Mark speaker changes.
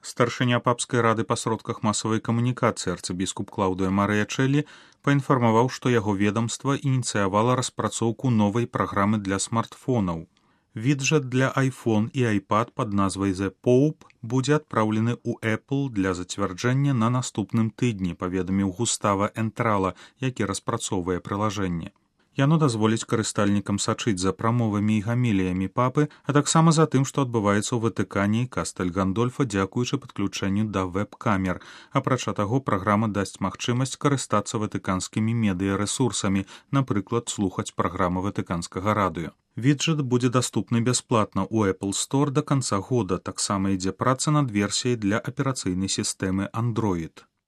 Speaker 1: Старшыня папскай рады па сродках масавай камунікацыі арцыбіскуп Клаўдыя Марыя Чэлі паінфармаваў, што яго ведамства ініцыявала распрацоўку новай праграмы для смартфонаў. Віджэт для iPhone і iPad пад назвай The Pope будзе адпраўлены ў Apple для зацвярджэння на наступным тыдні, паведаміў Густава Энтрала, які распрацоўвае прылажэнне. Яно дазволіць карыстальнікам сачыць за прамовамі і гаміліямі папы, а таксама за тым, што адбываецца ў Ватыкане і Кастэль Гандольфа дзякуючы падключэнню да вэб-камер. Апрача таго, праграма дасць магчымасць карыстацца ватыканскімі медыярэсурсамі, напрыклад, слухаць праграмы ватыканскага радыё. Віджэт будзе даступны бясплатна ў Apple Store да канца года, таксама ідзе праца над версіяй для аперацыйнай сістэмы Android.